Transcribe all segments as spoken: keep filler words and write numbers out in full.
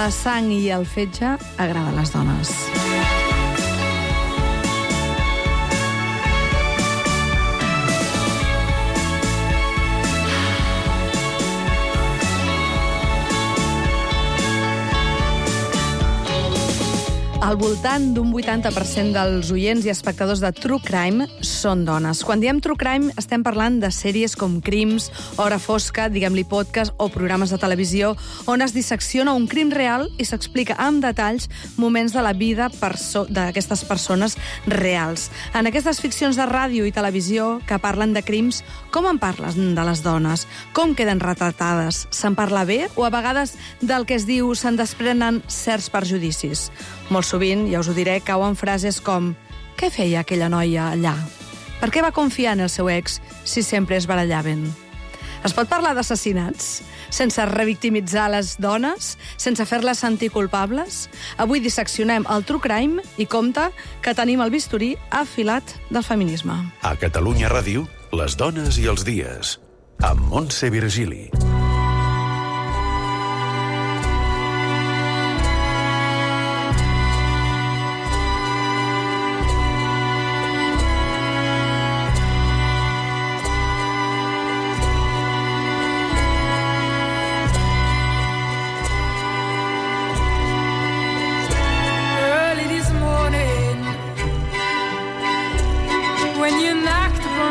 la sang i el fetge agrada a les dones. Al voltant d'un vuitanta per cent dels oients i espectadors de True Crime són dones. Quan diem True Crime estem parlant de sèries com Crims, Hora Fosca, diguem-li podcast o programes de televisió on es dissecciona un crim real i s'explica amb detalls moments de la vida perso- d'aquestes persones reals. En aquestes ficcions de ràdio i televisió que parlen de crims, com en parlen de les dones? Com queden retratades? Se'n parla bé o a vegades del que es diu se'n desprenen certs perjudicis? Molt sovint, ja us ho diré, cauen frases com «Què feia aquella noia allà? Per què va confiar en el seu ex si sempre es barallaven?» Es pot parlar d'assassinats sense revictimitzar les dones, sense fer-les sentir culpables? Avui disseccionem el True Crime i compte que tenim el bisturí afilat del feminisme. A Catalunya Ràdio, les dones i els dies, amb Montse Virgili.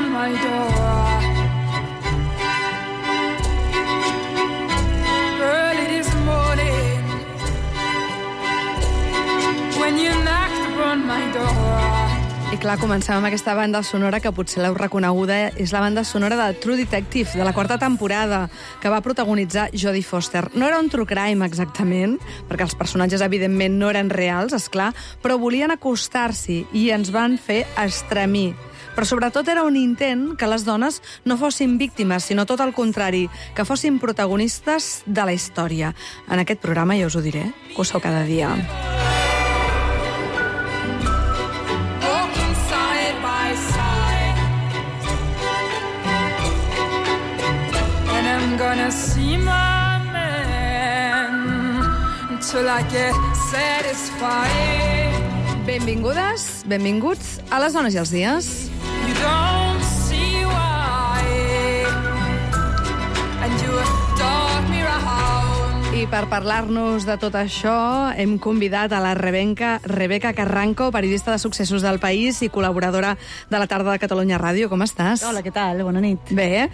My door. Early this morning, when you knocked upon my door. I clar, comencem amb aquesta banda sonora que potser l'heu reconeguda. És la banda sonora de True Detective, de la quarta temporada, que va protagonitzar Jodie Foster. No era un true crime exactament, perquè els personatges evidentment no eren reals, esclar, però volien acostar-s'hi i ens van fer estremir. Però sobretot era un intent que les dones no fossin víctimes, sinó tot el contrari, que fossin protagonistes de la història. En aquest programa ja us ho diré, que ho sou cada dia. Walking side by side, and I'm gonna see my man until I get satisfied. Benvingudes, benvinguts a les dones i els dies. You don't see why, and you dog me round. I per parlar-nos de tot això hem convidat a la Rebeca, Rebeca Carranco, periodista de Successos del País i col·laboradora de la tarda de Catalunya Ràdio. Com estàs? Hola, què tal? Bona nit. Bé,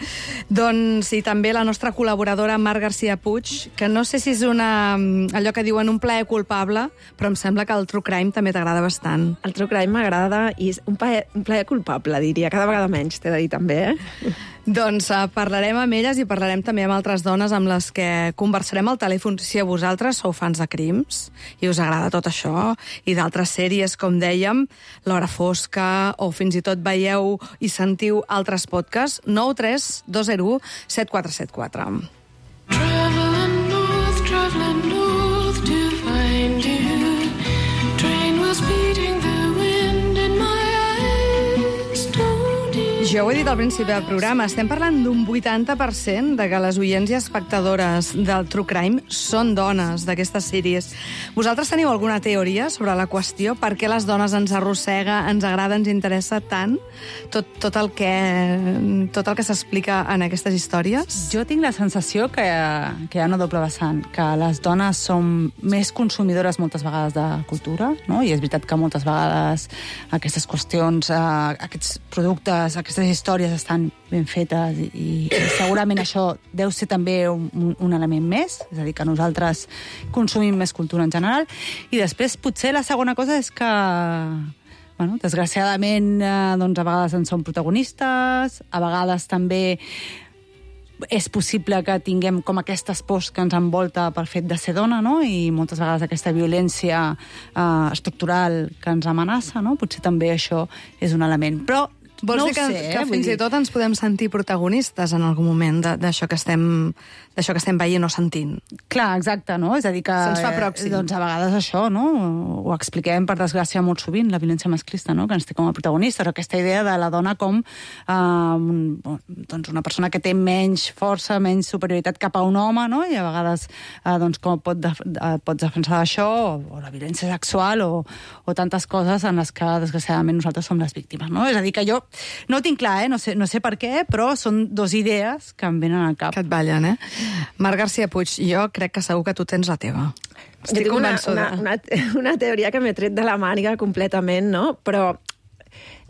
doncs i també la nostra col·laboradora Mar García Puig, que no sé si és una, allò que diuen un plaer culpable, però em sembla que el True Crime també t'agrada bastant. El True Crime m'agrada i és un plaer, un plaer culpable, diria. Cada vegada menys, t'he de dir també, eh? Doncs uh, parlarem amb elles i parlarem també amb altres dones amb les que conversarem al telèfon. Si a vosaltres sou fans de Crims i us agrada tot això, i d'altres sèries, com dèiem, L'Hora Fosca, o fins i tot veieu i sentiu altres podcasts, nou tres dos zero u set quatre set quatre. Traveling north, traveling north to find you. Train was beating the wind in my eyes. Don't you... Jo ho he dit al principi del programa, estem parlant d'un vuitanta per cent de que les oients i espectadores del True Crime són dones d'aquestes sèries. Vosaltres teniu alguna teoria sobre la qüestió? Per què les dones ens arrossega, ens agrada, ens interessa tant tot, tot el que, tot el que s'explica en aquestes històries? Jo tinc la sensació que, que hi ha una doble vessant, que les dones som més consumidores moltes vegades de cultura, no? I és veritat que moltes vegades aquestes qüestions, eh, aquests productes, aquestes històries estan ben fetes i, i segurament això deu ser també un, un element més, és a dir, que nosaltres consumim més cultura en general. I després potser la segona cosa és que bueno, desgraciadament eh, doncs a vegades en som protagonistes, a vegades també és possible que tinguem com aquestes pors que ens envolta pel fet de ser dona, no? I moltes vegades aquesta violència eh, estructural que ens amenaça, no? Potser també això és un element. Però Vols no dir que, ho sé, que eh? fins i tot ens podem sentir protagonistes en algun moment de- d'això que estem d'això que estem veient o sentint? Clar, exacte, no? És a dir que... Se'ns fa eh, pròxim. Doncs a vegades això, no? Ho expliquem, per desgràcia, molt sovint, la violència masclista, no? Que ens té com a protagonistes, aquesta idea de la dona com eh, un, doncs una persona que té menys força, menys superioritat cap a un home, no? I a vegades eh, doncs com pot, def eh, pots defensar això, o, o la violència sexual, o, o tantes coses en les que, desgraciadament, nosaltres som les víctimes, no? És a dir, que jo no ho tinc clar, eh? No sé, no sé per què, però són dos idees que em venen al cap. Que et ballen, eh? Marc García Puig, jo crec que segur que tu tens la teva. Jo tinc una, una, una, una teoria que m'he tret de la màniga completament, no? Però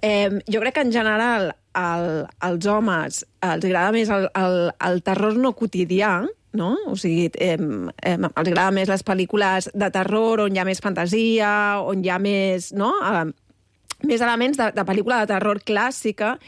eh, jo crec que en general el, als homes els agrada més el, el, el terror no quotidià, no? O sigui, eh, eh, els agrada més les pel·lícules de terror on hi ha més fantasia, on hi ha més, no? Eh, més elements de, de pel·lícula de terror clàssica,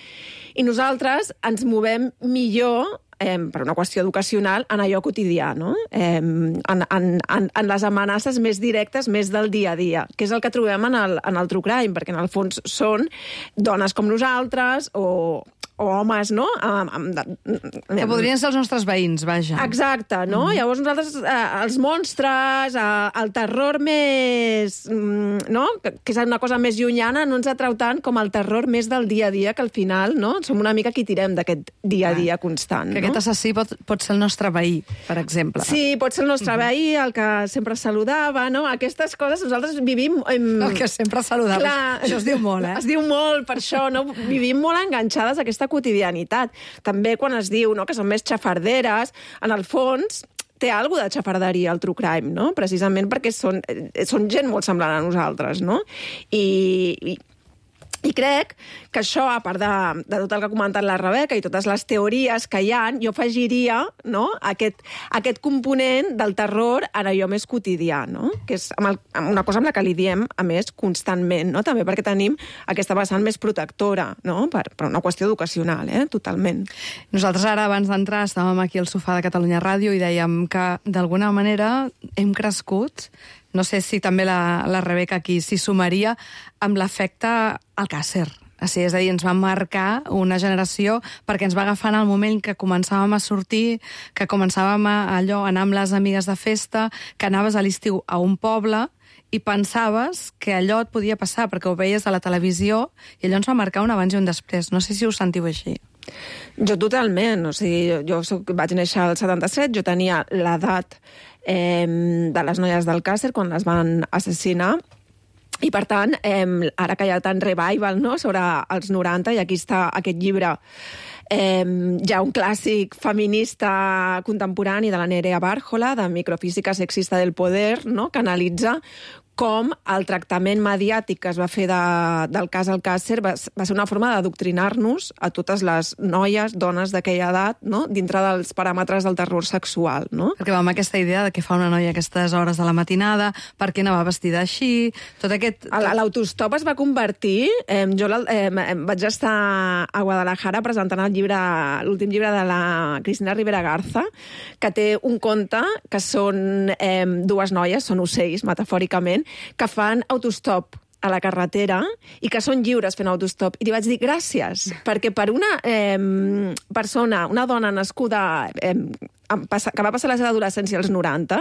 i nosaltres ens movem millor eh, per una qüestió educacional, en allò quotidià, no? Eh, en, en, en, en les amenaces més directes, més del dia a dia, que és el que trobem en el, en el true crime, perquè en el fons són dones com nosaltres, o o homes, no? Amb, amb, que podrien ser els nostres veïns, vaja. Exacte, no? Mm. Llavors nosaltres, eh, els monstres, eh, el terror més... Mm, no? Que, que és una cosa més llunyana, no ens atrau tant com el terror més del dia a dia, que al final, no? Som una mica qui tirem d'aquest dia a dia constant, que no? aquest assassí pot, pot ser el nostre veí, per exemple. Sí, pot ser el nostre mm-hmm. veí, el que sempre saludava, no? Aquestes coses nosaltres vivim... Em... El que sempre saludava. Clar, això es diu molt, eh? Es diu molt, per això, no? Vivim molt enganxades a aquesta quotidianitat. També quan es diu, no?, que són més xafarderes, en el fons té alguna de xafarderia el true crime, no? Precisament perquè són, són gent molt semblant a nosaltres, no? I, i I crec que això, a part de, de tot el que ha comentat la Rebeca i totes les teories que hi ha, jo afegiria, no?, aquest, aquest component del terror en allò més quotidià, no?, que és amb el, amb una cosa amb la que li diem, a més, constantment, no?, també perquè tenim aquesta vessant més protectora, no?, per, per una qüestió educacional, eh?, totalment. Nosaltres ara, abans d'entrar, estàvem aquí al sofà de Catalunya Ràdio i dèiem que, d'alguna manera, hem crescut. No sé si també la, la Rebeca aquí s'hi sumaria amb l'efecte Alcàsser. Sí, és a dir, ens va marcar una generació perquè ens va agafar en el moment que començàvem a sortir, que començàvem a, allò, a anar amb les amigues de festa, que anaves a l'estiu a un poble i pensaves que allò et podia passar perquè ho veies a la televisió i allò ens va marcar un abans i un després. No sé si ho sentiu així. Jo totalment, o sigui, jo, jo soc, vaig néixer al setanta-set, jo tenia l'edat eh, de les noies d'Alcàsser quan les van assassinar, i per tant, eh, ara que hi ha tant revival, no?, sobre els noranta, i aquí està aquest llibre, eh, ja un clàssic feminista contemporani de la Nerea Bárjola, de Microfísica sexista del poder, no?, que analitza com el tractament mediàtic que es va fer de, del cas Alcàsser va, va ser una forma d'adoctrinar-nos a totes les noies, dones d'aquella edat, no?, dintre dels paràmetres del terror sexual, no? Perquè va amb aquesta idea de què fa una noia a aquestes hores de la matinada, per què anava vestida així, tot aquest... L'autostop es va convertir... Eh, jo eh, vaig estar a Guadalajara presentant el llibre, l'últim llibre de la Cristina Rivera Garza, que té un conte que són eh, dues noies, són ocells, metafòricament, que fan autostop a la carretera i que són lliures fent autostop. I li vaig dir gràcies, perquè per una eh, persona, una dona nascuda... Eh, que va passar la seva adolescència als noranta,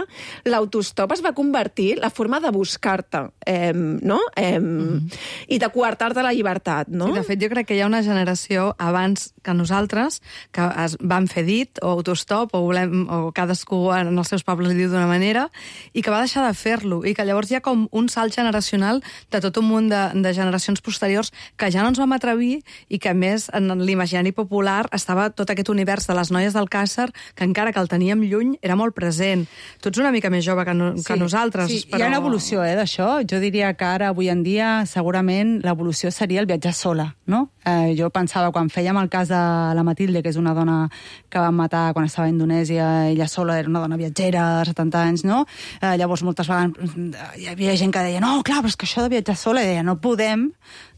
l'autostop es va convertir la forma de buscar-te, eh, no? Eh, mm-hmm. I de coartar-te la llibertat, no? Sí, de fet, jo crec que hi ha una generació abans que nosaltres que es van fer dit, o autostop, o, volem, o cadascú en els seus pobles li diu d'una manera, i que va deixar de fer-lo, i que llavors hi ha com un salt generacional de tot un munt de, de generacions posteriors que ja no ens vam atrevir i que, a més, en l'imaginari popular estava tot aquest univers de les noies d'Alcàsser que encara que el teníem lluny, era molt present. Tu ets una mica més jove que, no, sí, que nosaltres. Sí, però... hi ha una evolució eh, d'això. Jo diria que ara, avui en dia, segurament l'evolució seria el viatjar sola, no? Eh, jo pensava, quan fèiem el cas de la Matilde, que és una dona que van matar quan estava a Indonèsia, ella sola era una dona viatgera de setanta anys, no? Eh, llavors, moltes vegades hi havia gent que deia no, clar, però és que això de viatjar sola, i deia, no podem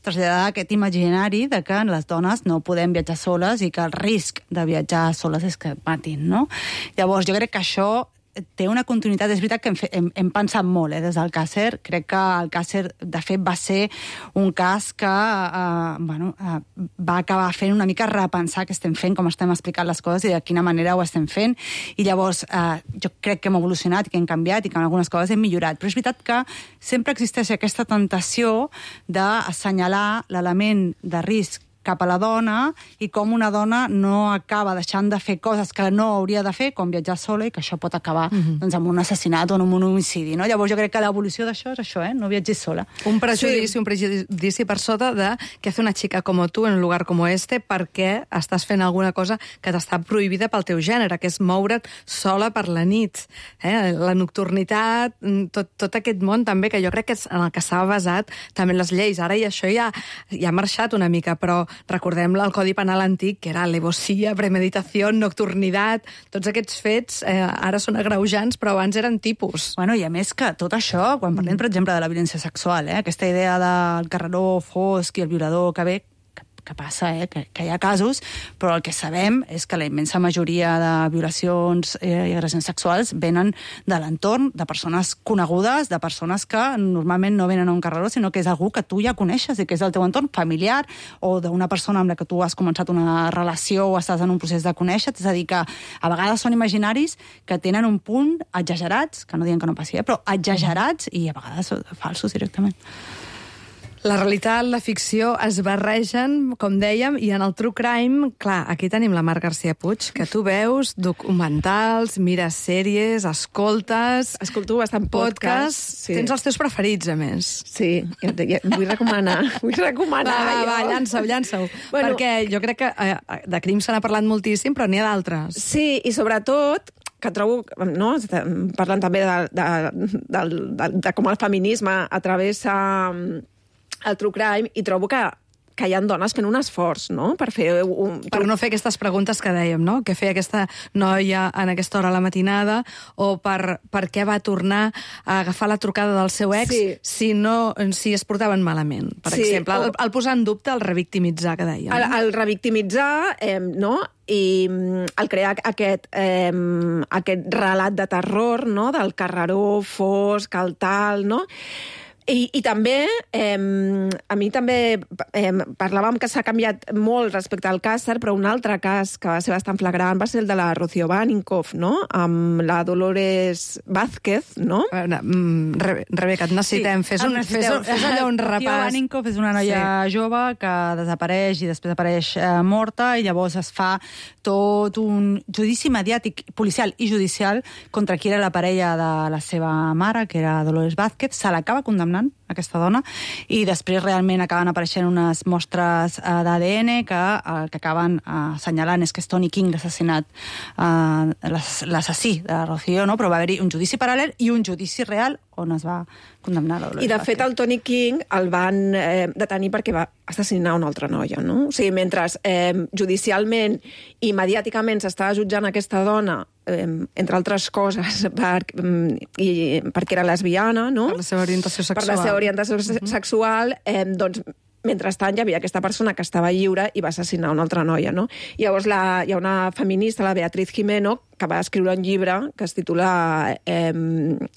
traslladar aquest imaginari de que les dones no podem viatjar soles i que el risc de viatjar soles és que et matin, no? Llavors, jo crec que això té una continuïtat. És veritat que hem, fe, hem, hem pensat molt eh, des del Càcer. Crec que el Càcer, de fet, va ser un cas que eh, bueno, eh, va acabar fent una mica repensar què estem fent, com estem explicant les coses i de quina manera ho estem fent. I llavors, eh, jo crec que hem evolucionat i que hem canviat i que en algunes coses hem millorat. Però és veritat que sempre existeix aquesta tentació d'assenyalar l'element de risc cap a la dona i com una dona no acaba deixant de fer coses que no hauria de fer, com viatjar sola, i que això pot acabar mm-hmm. doncs, amb un assassinat o amb un homicidi. No? Llavors jo crec que l'evolució d'això és això, eh? No viatgis sola. Un prejudici, sí. un prejudici per sota de què fa una xica com tu en un lugar com este perquè estàs fent alguna cosa que t'està prohibida pel teu gènere, que és moure't sola per la nit. Eh? La nocturnitat, tot, tot aquest món també, que jo crec que és en el que s'ha basat també les lleis. Ara i això ja, ja ha marxat una mica, però recordem el Codi Penal antic, que era alevosía, premeditació, nocturnitat, tots aquests fets eh, ara són agreujants, però abans eren tipus. Bueno, i a més que tot això, quan parlem, per exemple, de la violència sexual, eh, aquesta idea del carreró fosc i el violador que ve, que passa, eh, que, que hi ha casos, però el que sabem és que la immensa majoria de violacions eh, i agressions sexuals venen de l'entorn, de persones conegudes, de persones que normalment no venen a un carreró, sinó que és algú que tu ja coneixes i que és del teu entorn familiar o d'una persona amb la que tu has començat una relació o estàs en un procés de conèixer. És a dir, que a vegades són imaginaris que tenen un punt exagerats, que no diuen que no passi, eh, però exagerats i a vegades falsos directament. La realitat, la ficció es barregen, com dèiem, i en el true crime, clar, aquí tenim la Mar García Puig, que tu veus documentals, mires sèries, escoltes... Escolto bastant podcasts. Sí. Tens els teus preferits, a més. Sí, ja, ja, vull recomanar, vull recomanar. Va, va, va, llança-ho, llança-ho. Bueno, perquè jo crec que eh, de crims se n'ha parlat moltíssim, però n'hi ha d'altres. Sí, i sobretot que trobo, no? Parlant també de, de, de, de, de com el feminisme atravessa el true crime, i trobo que, que hi ha dones fent un esforç, no?, per fer un... Per no fer aquestes preguntes que dèiem, no?, que feia aquesta noia en aquesta hora a la matinada, o per, per què va tornar a agafar la trucada del seu ex sí. si, no, si es portaven malament, per sí, exemple. O... El, el posar en dubte, el revictimitzar, que dèiem. El, el revictimitzar, eh, no?, i el crear aquest, eh, aquest relat de terror, no?, del carreró fosc, el tal, no?, I, i també, eh, a mi també eh, parlàvem que s'ha canviat molt respecte al Càcer, però un altre cas que va ser bastant flagrant va ser el de la Rocío Baninkoff, no?, amb la Dolores Vázquez, no? Bueno, Re Rebeca, et necessitem. Sí, fes, un, necessiteu. fes, un, fes allò un repàs. Rocío Baninkoff és una noia sí. jove que desapareix i després apareix eh, morta, i llavors es fa tot un judici mediàtic, policial i judicial contra qui era la parella de la seva mare, que era Dolores Vázquez. Se l'acaba condemnant aquesta dona, i després realment acaben apareixent unes mostres uh, d'A D N que el uh, que acaben uh, assenyalant és que és Tony King l'assassinat, uh, l'assassí de la Rocío, no? Però va haver-hi un judici paral·lel i un judici real on es va condemnar la Dolores. I de fet el Tony King el van eh, detenir perquè va assassinar una altra noia, no? O sigui, mentre eh, judicialment i mediàticament s'estava jutjant aquesta dona, eh, entre altres coses, per, i, perquè era lesbiana, no? Per la seva orientació sexual. Per la seva orientació mm-hmm. sexual, eh, doncs mentrestant hi havia aquesta persona que estava lliure i va assassinar una altra noia, no? I llavors la, hi ha una feminista, la Beatriz Jimeno, que va escriure un llibre que es titula eh,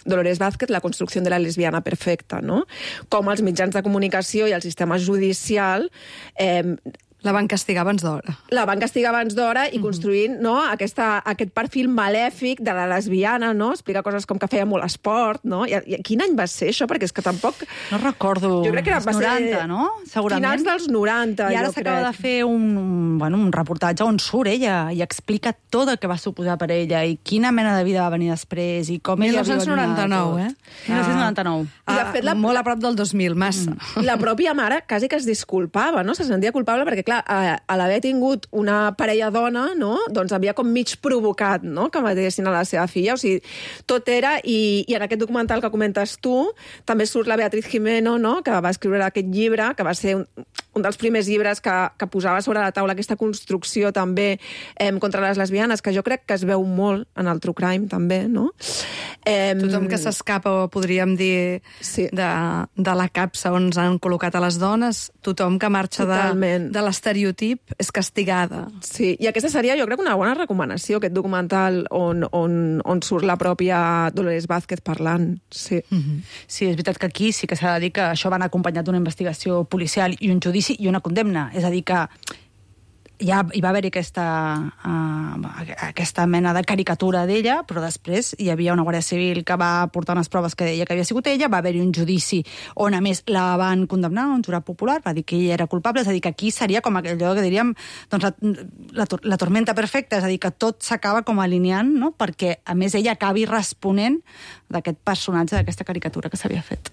Dolores Vázquez, la construcció de la lesbiana perfecta, no? Com els mitjans de comunicació i el sistema judicial eh, la van castigar abans d'hora. La van castigar abans d'hora i construint no, aquesta, aquest perfil malèfic de la lesbiana, no? Explica coses com que feia molt esport, no? I, i quin any va ser això? Perquè és que tampoc... No recordo. Jo crec que era, va noranta, ser... no? Segurament. Finals dels noranta, I ara s'acaba de fer un, un, bueno, un reportatge on surt ella i explica tot el que va suposar per ella i quina mena de vida va venir després i com ella dinou noranta-nou, eh? dinou noranta-nou. Ah, I de fet, la... molt a prop del dos mil, massa. La pròpia mare quasi que es disculpava, no? Se sentia culpable perquè, clar, a, a l'haver tingut una parella dona, no? Doncs havia com mig provocat, no?, que matessin a la seva filla. O sigui, tot era... I, i en aquest documental que comentes tu, també surt la Beatriz Jimeno, no?, que va escriure aquest llibre, que va ser un, un dels primers llibres que, que posava sobre la taula aquesta construcció també eh, contra les lesbianes, que jo crec que es veu molt en el true crime, també, no? Eh, Tothom que s'escapa, podríem dir, sí. de, de la capsa on han col·locat a les dones, tothom que marxa de, de les estereotip és castigada. Sí, i aquesta seria, jo crec, una bona recomanació, aquest documental on, on, on surt la pròpia Dolores Vázquez parlant. Sí. Mm-hmm. Sí, és veritat que aquí sí que s'ha de dir que això van acompanyat d'una investigació policial i un judici i una condemna. És a dir, que ja hi va haver-hi aquesta, uh, aquesta mena de caricatura d'ella, però després hi havia una Guàrdia Civil que va portar unes proves que deia que havia sigut ella, va haver-hi un judici on, a més, la van condemnar, un jurat popular, va dir que ella era culpable, és a dir, que aquí seria com allò que diríem doncs, la, la, la tormenta perfecta, és a dir, que tot s'acaba com alineant, no? Perquè, a més, ella acabi responent d'aquest personatge, d'aquesta caricatura que s'havia fet.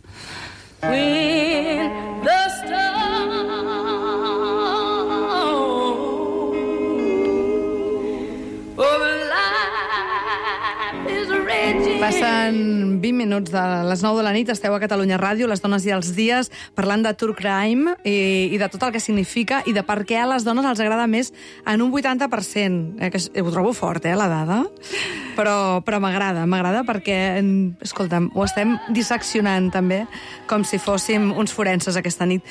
When the stars Passen vint minuts de les nou de la nit, esteu a Catalunya Ràdio, les dones i els dies, parlant de true crime i, i de tot el que significa i de per què a les dones els agrada més en un vuitanta per cent. Eh, que ho trobo fort, eh, la dada, però, però m'agrada, m'agrada perquè, escolta'm, ho estem disseccionant també, com si fóssim uns forenses aquesta nit.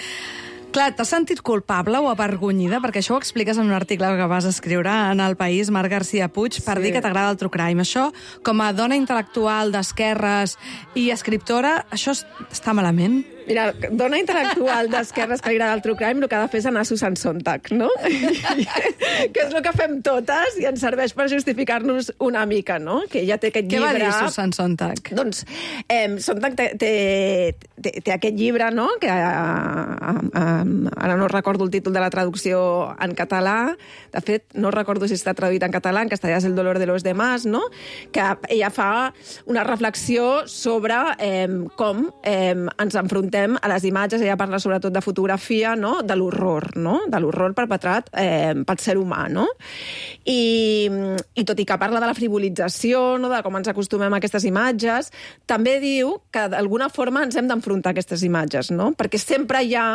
Clar, t'has sentit culpable o avergonyida? Perquè això ho expliques en un article que vas escriure en El País, Marc García Puig, per sí. dir que t'agrada el true crime. Això, com a dona intel·lectual d'esquerres i escriptora, això està malament? Mira, dona intel·lectual d'esquerres que li agrada el true crime, el que ha de fer és anar a Susan Sontag, no? Que és el que fem totes i ens serveix per justificar-nos una mica, no? Que ella té aquest Què llibre... Què va dir Susan Sontag? Doncs eh, Sontag té, té, té, té aquest llibre, no?, que eh, eh, ara no recordo el títol de la traducció en català, de fet, no recordo si està traduït en català, en castellà és El dolor de los demás, no?, que ella fa una reflexió sobre eh, com eh, ens enfrontem a les imatges, ella parla sobretot de fotografia, no?, de l'horror, no?, de l'horror perpetrat eh, pel ser humà, no? I, I tot i que parla de la frivolització, no?, de com ens acostumem a aquestes imatges, també diu que d'alguna forma ens hem d'enfrontar a aquestes imatges, no?, perquè sempre hi ha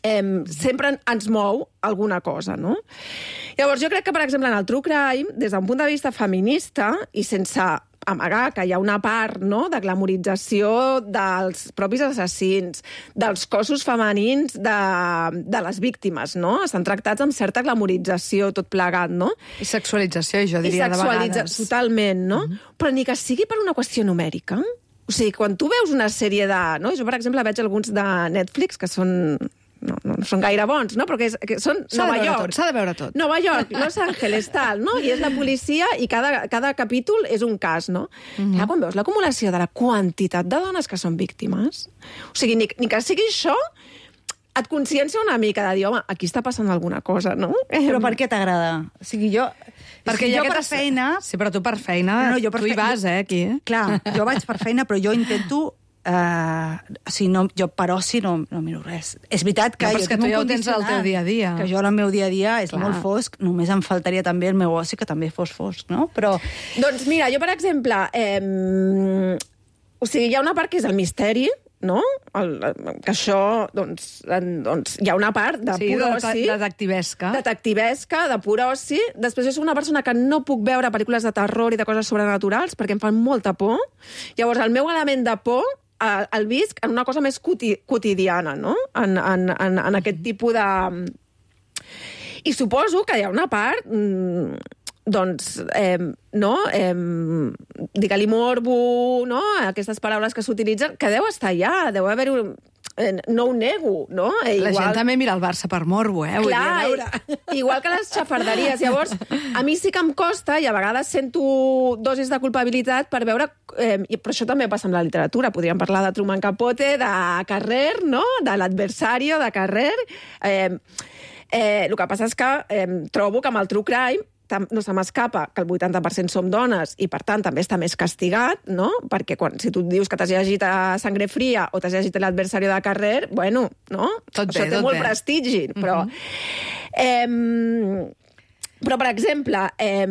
Eh, sempre ens mou alguna cosa, no? Llavors, jo crec que, per exemple, en el true crime, des d'un punt de vista feminista, i sense amagar que hi ha una part, no?, de glamorització dels propis assassins, dels cossos femenins de, de les víctimes, no? Estan tractats amb certa glamorització, tot plegat, no? I sexualització, jo diria, de vegades. Totalment, no? Mm-hmm. Però ni que sigui per una qüestió numèrica. O sigui, quan tu veus una sèrie de... No? Jo, per exemple, veig alguns de Netflix que són... No, no, no són gaire bons, no? Però que, és, que són Nova York. S'ha de veure tot. Nova York, Los Angeles, tal, no? I és la policia i cada, cada capítol és un cas, no? Mm-hmm. Ja, quan veus l'acumulació de la quantitat de dones que són víctimes, o sigui, ni, ni que sigui això, et consciència una mica de dir, home, aquí està passant alguna cosa, no? Però per què t'agrada? O sigui, jo... Perquè jo per aquesta... feina... Sí, però tu per feina, no, no, jo per tu fe... hi vas, eh, aquí. Clar, jo vaig per feina, però jo intento... Uh, o sigui, no, jo per oci no, no miro res. És veritat que... No, jo és que tu ja ho tens al teu dia a dia. Que jo el meu dia a dia és Clar. molt fosc, només em faltaria també el meu oci que també fos fosc, no? Però... Doncs mira, jo, per exemple, eh, o sigui, hi ha una part que és el misteri, no? El, que això, doncs, en, doncs, hi ha una part de sí, pur oci... De detectivesca. Detectivesca, de pur oci. Després jo soc una persona que no puc veure pel·lícules de terror i de coses sobrenaturals perquè em fan molta por. Llavors, el meu element de por el, el visc en una cosa més quoti, quotidiana, no? En, en, en, en aquest tipus de... I suposo que hi ha una part... Mmm, doncs, eh, no, eh, digue-li morbo, no, aquestes paraules que s'utilitzen, que deu estar allà, deu haver-hi un... Eh, no ho nego, no? Eh, igual... La gent també mira el Barça per morbo, eh? Clar, vull dir, veure. Igual que les xafarderies. Llavors, a mi sí que em costa, i a vegades sento dosis de culpabilitat per veure... Eh, però això també passa amb la literatura. Podríem parlar de Truman Capote, de Carrer, no? De l'adversario de Carrer. Eh, eh, el que passa és que eh, trobo que amb el true crime no se m'escapa que el vuitanta per cent som dones i, per tant, també està més castigat, no? Perquè quan, si tu dius que t'has llegit a Sangre Fria o t'has llegit l'adversari de Carrer, bueno, no? Tot Això bé, té molt bé. prestigi, però... Uh-huh. eh, però, per exemple, eh,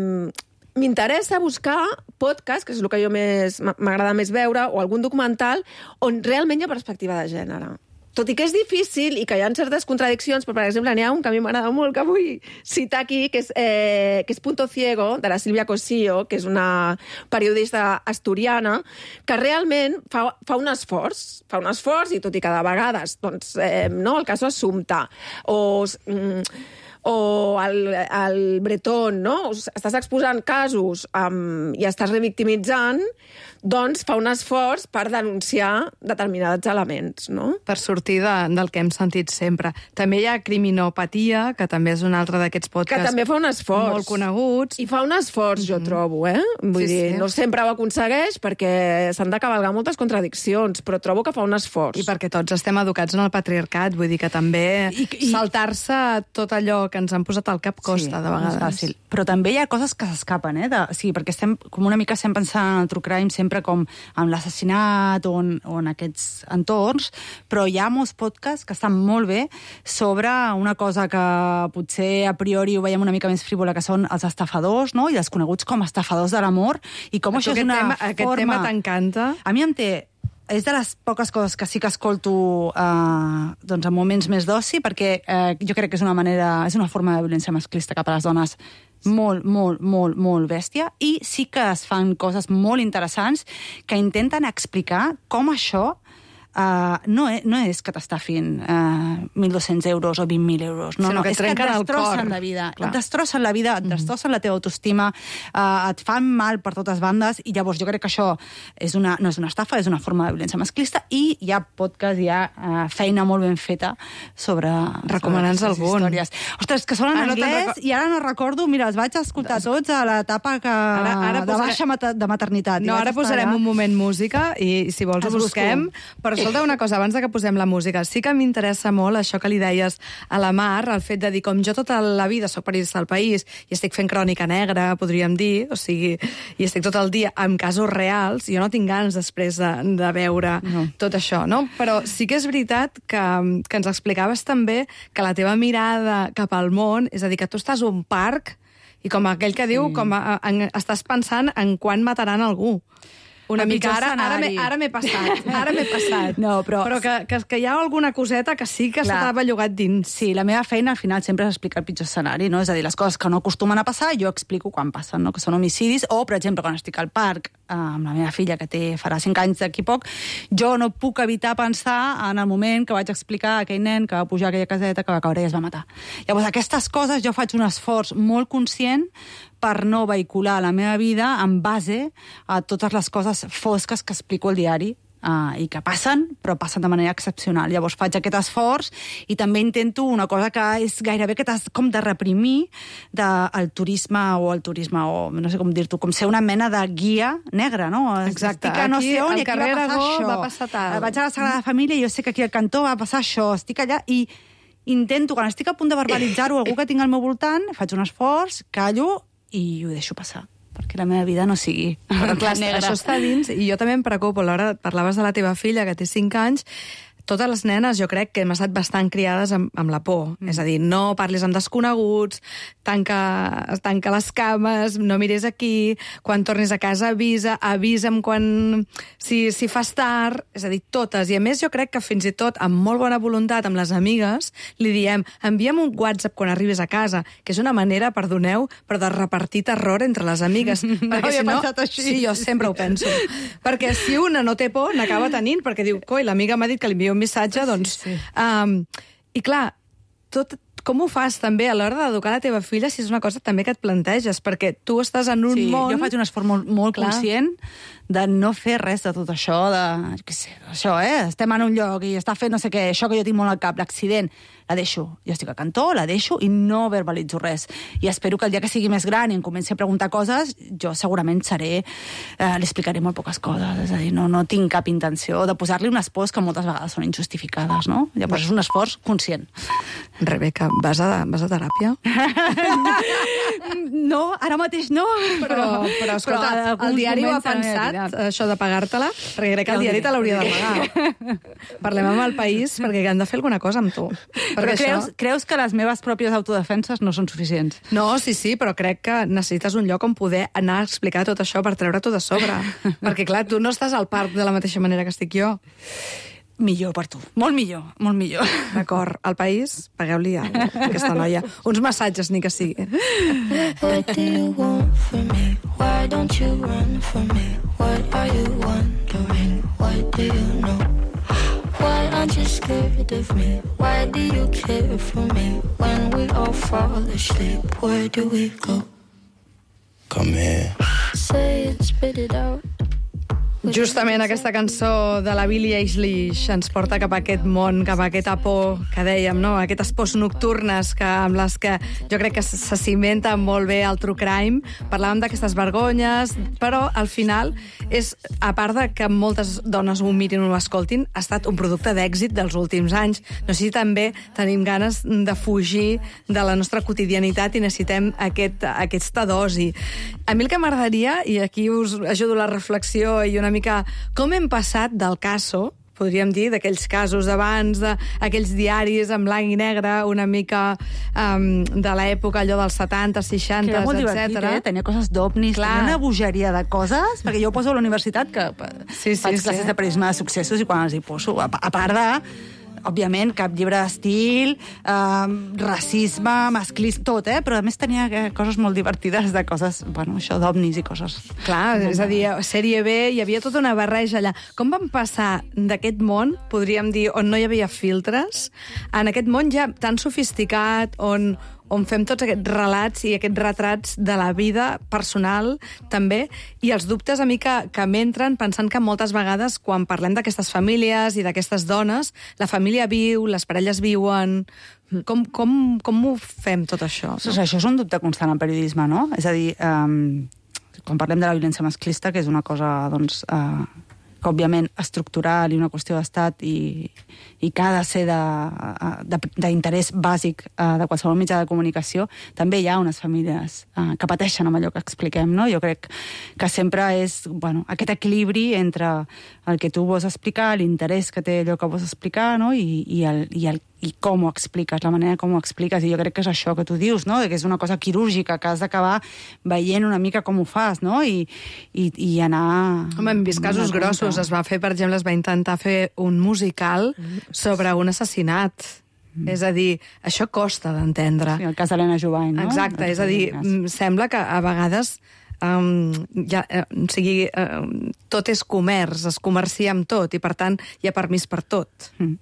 m'interessa buscar podcast, que és el que jo més m'agrada més veure, o algun documental on realment hi ha perspectiva de gènere. tot i que és difícil i que hi ha certes contradiccions, però, per exemple, n'hi ha un que a mi m'agrada molt, que vull citar aquí, que és, eh, que és Punto Ciego, de la Sílvia Cosillo, que és una periodista asturiana, que realment fa, fa un esforç, fa un esforç, i tot i que de vegades, doncs, eh, no, el cas Assumpta, o... Mm, o el, el Bretón, no? Estàs exposant casos um, i estàs revictimitzant, doncs fa un esforç per denunciar determinats elements, no? Per sortir de, del que hem sentit sempre. També hi ha Criminopatia, que també és un altre d'aquests podcasts... Que també fa un esforç. Molt coneguts. I fa un esforç, jo trobo, eh? Vull Sí, dir, sí. no sempre ho aconsegueix perquè s'han de cavalgar moltes contradiccions, però trobo que fa un esforç. I perquè tots estem educats en el patriarcat, vull dir que també I- i- saltar-se tot allò que ens han posat al cap costa, sí, de vegades. no és fàcil. Però també hi ha coses que s'escapen, eh? De, sí, perquè estem com una mica estem pensant en el true crime sempre com en l'assassinat o, en, o en aquests entorns, però hi ha molts podcasts que estan molt bé sobre una cosa que potser a priori ho veiem una mica més frívola, que són els estafadors, no? I els coneguts com estafadors de l'amor, i com A tu això és aquest una tema, forma... Aquest tema t'encanta. A mi em té... És de les poques coses que sí que escolto eh, doncs en moments més d'oci, perquè eh, jo crec que és una manera, és una forma de violència masclista cap a les dones molt, molt, molt, molt bèstia, i sí que es fan coses molt interessants que intenten explicar com això Uh, no, és, no és que t'estafin uh, mil dos-cents euros o vint mil euros. No, Sinó no, que és que et trenquen el destrossen cor. la vida. Clar. Et destrossen la vida, et destrossen la teva autoestima, uh, et fan mal per totes bandes, i llavors jo crec que això és una, no és una estafa, és una forma de violència masclista, i hi ha podcast, hi ha uh, feina molt ben feta sobre... Recomana'ns sobre aquestes algun. històries. Ostres, que són en Ah, no te'n anglès, reco- i ara no recordo, mira, els vaig escoltar tots a l'etapa que... Ara- ara de posaré- baixa mater de maternitat. I No, vaig ara estar posarem allà. un moment música i, si vols, ho Els busquem. busco. Però escolta una cosa, abans de que posem la música, sí que m'interessa molt això que li deies a la Mar, el fet de dir, com jo tota la vida soc periodista del País i estic fent crònica negra, podríem dir, o sigui, i estic tot el dia amb casos reals, jo no tinc ganes després de, de veure No. tot això, no? Però sí que és veritat que, que ens explicaves també que la teva mirada cap al món, és a dir, que tu estàs a un parc i com aquell que diu, com a, en, estàs pensant en quan mataran algú. Una El mica, pitjor ara, ara m'he escenari. ara m'he passat, ara m'he passat. No, però- però que, que, que hi ha alguna coseta que sí que Clar. s'ha bellugat dins. Sí, la meva feina al final sempre és explicar el pitjor escenari, no? És a dir, les coses que no acostumen a passar, jo explico quan passen, no? Que són homicidis, o, per exemple, quan estic al parc eh, amb la meva filla, que té farà cinc anys d'aquí poc, jo no puc evitar pensar en el moment que vaig explicar a aquell nen que va pujar a aquella caseta, que va caure i es va matar. Llavors, aquestes coses jo faig un esforç molt conscient per no vehicular la meva vida en base a totes les coses fosques que explico al diari, Uh, i que passen, però passen de manera excepcional. Llavors faig aquest esforç i també intento una cosa que és gairebé que t'has com de reprimir del turisme o el turisme, o no sé com dir-t'ho, com ser una mena de guia negra, no? Exacte. Estic a no Aquí, sé on, al i aquí carrer va passar Aragó això. va passar tal. Vaig a la Sagrada Família i jo sé que aquí al cantó va passar això. Estic allà i intento, quan estic a punt de verbalitzar-ho, algú que tinc al meu voltant, faig un esforç, callo i ho deixo passar, perquè la meva vida no sigui Però clar, negra. això està dins, i jo també em preocupo. A l'hora parlaves de la teva filla, que té cinc anys, totes les nenes jo crec que hem estat bastant criades amb, amb la por. Mm. És a dir, no parlis amb desconeguts, tanca, tanca les cames, no miris aquí, quan tornis a casa avisa, avisa'm quan... Si, si fas tard, és a dir, totes. I a més jo crec que fins i tot, amb molt bona voluntat, amb les amigues, li diem, envia'm un WhatsApp quan arribes a casa, que és una manera, perdoneu, però de repartir terror entre les amigues. No havia pensat així. Sí, jo sempre ho penso. Perquè si una no té por, n'acaba tenint, perquè diu, coi, l'amiga m'ha dit que li envia un missatge, doncs... Sí, sí. Um, I clar, tot, com ho fas també a l'hora d'educar la teva filla, si és una cosa també que et planteges, perquè tu estàs en un Sí, món... jo faig un esforç molt, molt Clar. conscient de no fer res de tot això, de, jo què sé, això, eh? Estem en un lloc i està fent no sé què, això que jo tinc molt al cap, l'accident, la deixo. Jo estic al cantó, la deixo i no verbalitzo res. I espero que el dia que sigui més gran i em comenci a preguntar coses, jo segurament seré... Eh, li explicaré molt poques coses. És a dir, no, no tinc cap intenció de posar-li unes pors que moltes vegades són injustificades, no? Llavors és un esforç conscient. Rebeca, vas a, vas a teràpia? No, ara mateix no. Però, però escolta, però el alguns diari ho ha moments de la meva pensat, vida. això de pagar-te-la? Perquè crec que el diari te l'hauria de pagar. Parlem amb el País, perquè han de fer alguna cosa amb tu. Però Perquè creus, això... creus que les meves pròpies autodefenses no són suficients? No, sí, sí, però crec que necessites un lloc on poder anar a explicar tot això per treure-t'ho de sobre. Perquè, clar, tu no estàs al parc de la mateixa manera que estic jo. millor per tu. Molt millor, molt millor. D'acord, al país, pagueu-li a aquesta noia. Uns massatges, ni que sigui. What do you want from me? Why don't you run from me? What are you wondering? What do you know? Why aren't you scared of me? Why do you care for me? When we all fall asleep, where do we go? Come here. Say it, spit it out. Justament aquesta cançó de la Billie Eilish ens porta cap a aquest món, cap a aquesta por que dèiem, no? Aquestes pors nocturnes que, amb les que jo crec que se cimenta molt bé el true crime. Parlàvem d'aquestes vergonyes, però al final és, a part de que moltes dones ho mirin o ho escoltin, ha estat un producte d'èxit dels últims anys. No sé si també tenim ganes de fugir de la nostra quotidianitat i necessitem aquest, aquesta dosi. A mi el que m'agradaria, i aquí us ajudo la reflexió i una mica com hem passat del caso, podríem dir, d'aquells casos d'abans, d'aquells diaris en blanc i negre, una mica um, de l'època, allò dels setanta, seixanta, etcètera. Que era molt etcètera. divertit, eh? Tenia coses d'ovnis, tenia una bogeria de coses, perquè jo ho poso a la universitat, que sí, sí, faig classes sí. de periodisme de successos, i quan els hi poso, a, a part de... òbviament, cap llibre d'estil, eh, racisme, masclisme, tot, eh? Però a més tenia coses molt divertides de coses, bueno, això d'ovnis i coses. Clar, és a dir, sèrie B, hi havia tota una barreja allà. Com vam passar d'aquest món, podríem dir, on no hi havia filtres, en aquest món ja tan sofisticat, on, on fem tots aquests relats i aquests retrats de la vida personal, també, i els dubtes a mi que, que m'entren pensant que moltes vegades, quan parlem d'aquestes famílies i d'aquestes dones, la família viu, les parelles viuen... Com, com, com ho fem, tot això? No? O sigui, això és un dubte constant al periodisme, no? És a dir, eh, quan parlem de la violència masclista, que és una cosa, doncs... Eh, que òbviament estructural i una qüestió d'estat i, i que ha de ser d'interès bàsic uh, de qualsevol mitjà de comunicació, també hi ha unes famílies uh, que pateixen amb allò que expliquem, no? Jo crec que sempre és, bueno, aquest equilibri entre el que tu vols explicar, l'interès que té allò que vols explicar, no? I, i, el, i, el, i com ho expliques, la manera com ho expliques, i jo crec que és això que tu dius, no? Que és una cosa quirúrgica, que has d'acabar veient una mica com ho fas, no? I, i, i anar... Home, hem vist casos grossos. Es va fer, per exemple, es va intentar fer un musical sobre un assassinat. Mm. És a dir, això costa d'entendre. Sí, el cas d'Helena Jovany, no? Exacte, és a dir, sembla que a vegades um, ja, eh, o sigui, eh, tot és comerç, es comercia amb tot, i per tant hi ha permís per tot. Mm.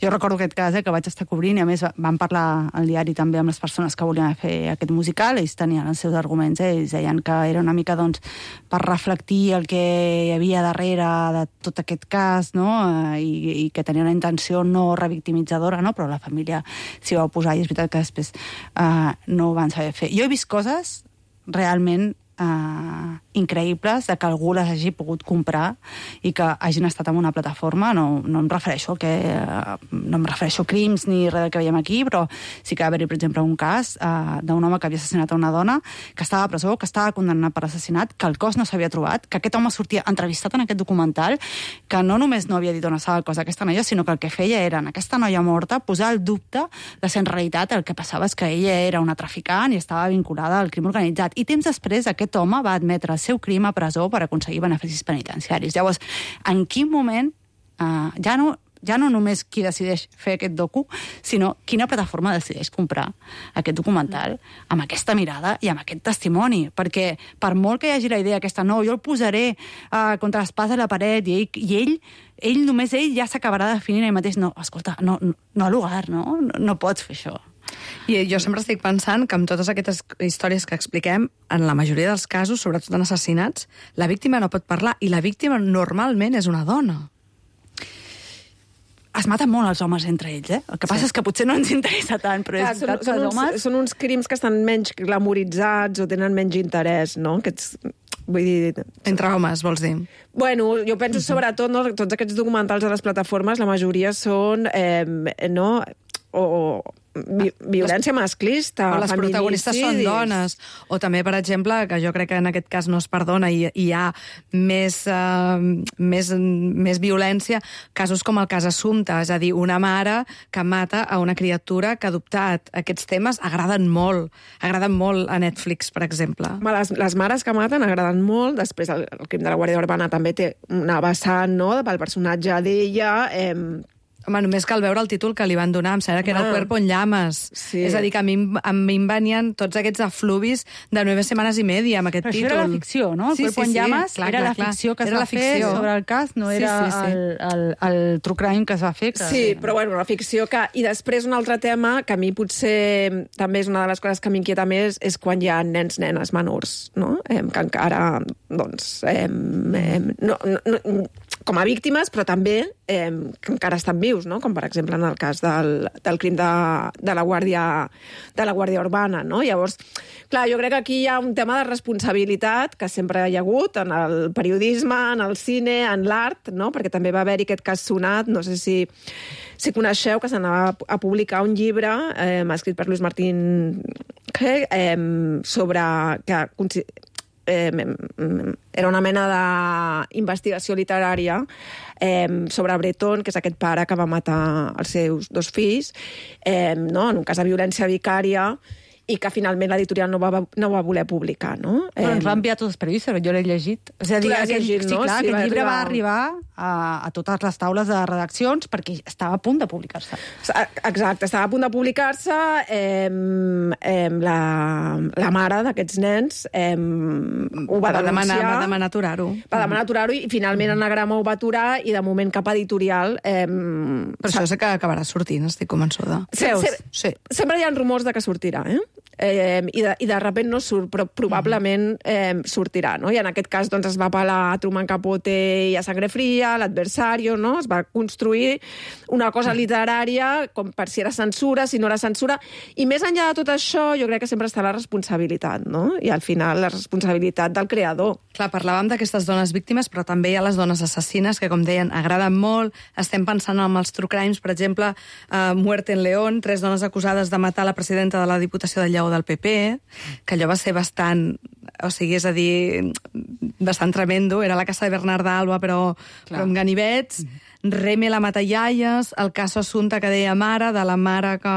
Jo recordo aquest cas, eh, que vaig estar cobrint, i a més vam parlar al diari també amb les persones que volien fer aquest musical, ells tenien els seus arguments, eh, ells deien que era una mica, doncs, per reflectir el que hi havia darrere de tot aquest cas, no?, eh, i, i que tenia una intenció no revictimitzadora, no?, però la família s'hi va oposar, i és veritat que després eh, no ho van saber fer. Jo he vist coses realment Uh, increïbles de que algú les hagi pogut comprar i que hagin estat en una plataforma. No, no em refereixo que uh, no em refereixo a crims ni res del que veiem aquí, però sí que va haver-hi, per exemple, un cas uh, d'un home que havia assassinat a una dona, que estava a presó, que estava condemnat per assassinat, que el cos no s'havia trobat, que aquest home sortia entrevistat en aquest documental, que no només no havia dit on estava el cos d'aquesta noia, sinó que el que feia era, en aquesta noia morta, posar el dubte de si en realitat el que passava és que ella era una traficant i estava vinculada al crim organitzat. I temps després, aquest Aquest home va admetre el seu crim a presó per aconseguir beneficis penitenciaris. Llavors, en quin moment, eh, ja, no, ja no només qui decideix fer aquest docu, sinó quina plataforma decideix comprar aquest documental amb aquesta mirada i amb aquest testimoni? Perquè per molt que hi hagi la idea aquesta, no, jo el posaré eh, contra l'espasa a la paret i ell, i ell, ell només ell ja s'acabarà definint ell mateix. No, escolta, no, no, no ha lugar, no? no? No pots fer això. I jo sempre estic pensant que amb totes aquestes històries que expliquem, en la majoria dels casos, sobretot en assassinats, la víctima no pot parlar, i la víctima normalment és una dona. Es maten molt els homes entre ells, eh? El que passa sí. és que potser no ens interessa tant, però Clar, és són, són, uns, homes... són uns crims que estan menys glamoritzats o tenen menys interès, no? Aquests... Vull dir... Entre homes, vols dir? Bueno, jo penso sobretot, no, tots aquests documentals a les plataformes, la majoria són, eh, no, o, vi violència masclista, o les protagonistes són dones, o també, per exemple, que jo crec que en aquest cas no es perdona i hi ha més, uh, més, més violència, casos com el cas Assumpta, és a dir, una mare que mata a una criatura que ha adoptat. Aquests temes agraden molt, agraden molt a Netflix, per exemple. Les, les mares que maten agraden molt, després el, el crim de la Guàrdia Urbana també té una vessant, no?, pel personatge d'ella. Eh, Home, només cal veure el títol que li van donar, em sembla que era El cuerpo en llames. Sí. És a dir, que a mi, a mi em venien tots aquests afluvis de nueve setmanes i media amb aquest Però títol. això era la ficció, no? El Sí, cuerpo sí, en sí, llames clar, era clar, la clar. ficció que es Era va la fer ficció. sobre el cas, no Sí, era sí, sí. El, el, el true crime que es va fer. Que... Sí, però bueno, la ficció que... I després un altre tema que a mi potser també és una de les coses que m'inquieta més és quan hi ha nens, nenes menors, no? Eh, que encara, doncs, eh, eh, no, no, com a víctimes, però també eh, que encara estan vius, no? Com per exemple en el cas del, del crim de, de, la Guàrdia, de la Guàrdia Urbana, no? Llavors, clar, jo crec que aquí hi ha un tema de responsabilitat que sempre hi ha hagut en el periodisme, en el cine, en l'art, no? Perquè també va haver-hi aquest cas sonat, no sé si, si coneixeu que s'anava a publicar un llibre eh, escrit per Luis Martín eh, sobre... que Eh, era una mena d'investigació literària eh, sobre Breton, que és aquest pare que va matar els seus dos fills, eh, no? En un cas de violència vicària, i que finalment l'editorial no, va, no va voler publicar, no? Però ens va enviar tots els periodistes, jo l'he llegit. És a dir, aquell, llegit, sí, no? clar, Sí, aquest va llibre arribar... va arribar a, a totes les taules de redaccions perquè estava a punt de publicar-se. Exacte, estava a punt de publicar-se. Eh, eh, la, la mare d'aquests nens eh, ho va, va denunciar. Demanar, va demanar aturar-ho. Va demanar aturar-ho i finalment Anagrama ho va aturar i de moment cap editorial... Eh, Per això sé que acabarà sortint, estic convençuda. Se, se, Sí. Sempre hi ha rumors de que sortirà, eh? Eh, i, de, i de repent no surt, però probablement eh, sortirà, no? I en aquest cas doncs, es va apel·lar a Truman Capote i a Sangre Fría, l'Adversario, no? Es va construir una cosa literària com per si era censura, si no era censura, i més enllà de tot això jo crec que sempre està la responsabilitat, no? I al final la responsabilitat del creador. Clar, parlàvem d'aquestes dones víctimes, però també hi ha les dones assassines, que, com deien, agraden molt. Estem pensant en els true crimes, per exemple, uh, Muerte en León, tres dones acusades de matar la presidenta de la Diputació de Lleó del P P, que allò va ser bastant... O sigui, és a dir, bastant tremendo. Era la casa de Bernarda Alba, però, però amb ganivets. Mm-hmm. Reme la matallaies, el cas Assumpta que deia mare, de la mare que,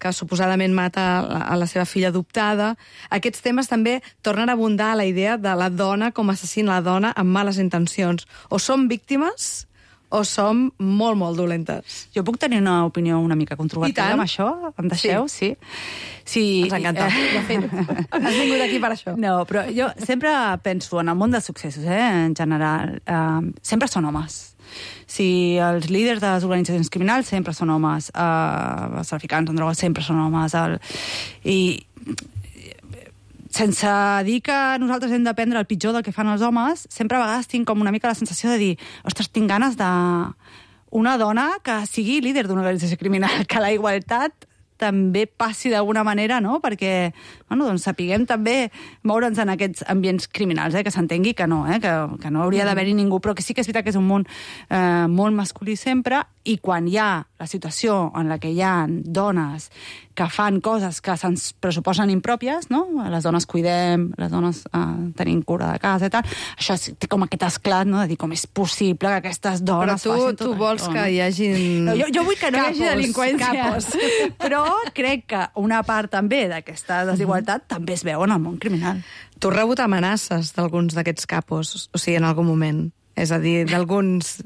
que suposadament mata a la seva filla adoptada. Aquests temes també tornen a abundar a la idea de la dona com a assassina, la dona amb males intencions. O som víctimes o som molt, molt dolentes. Jo puc tenir una opinió una mica controvertida amb això? Em deixeu? Sí. sí. Ens encanta. Eh... De fet, has vingut aquí per això. No, però jo sempre penso en el món dels successos, eh, en general. Eh, sempre són homes. Si els líders de les organitzacions criminals sempre són homes, eh, els traficants en drogues sempre són homes, el... i sense dir que nosaltres hem d'aprendre el pitjor del que fan els homes, sempre a vegades tinc com una mica la sensació de dir, ostres, tinc ganes de una dona que sigui líder d'una organització criminal, que la igualtat també passi d'alguna manera, no? Perquè, bueno, doncs sapiguem també moure'ns en aquests ambients criminals, eh? Que s'entengui que no, eh? Que, que no hauria d'haver-hi ningú, però que sí que és veritat que és un món eh, molt masculí sempre, i quan hi ha la situació en la que hi ha dones que fan coses que se'ns pressuposen impròpies, no? Les dones cuidem, les dones eh, tenim cura de casa i tal, això té com aquest esclat, no? De dir com és possible que aquestes dones però tu, facin tot tu vols això, que no? hi hagin... No, jo, jo vull que no capos, hi hagi delinqüència, capos. però crec que una part també d'aquesta desigualtat també es veu en el món criminal. Tu has rebut amenaces d'alguns d'aquests capos, o sigui, en algun moment. És a dir, d'alguns...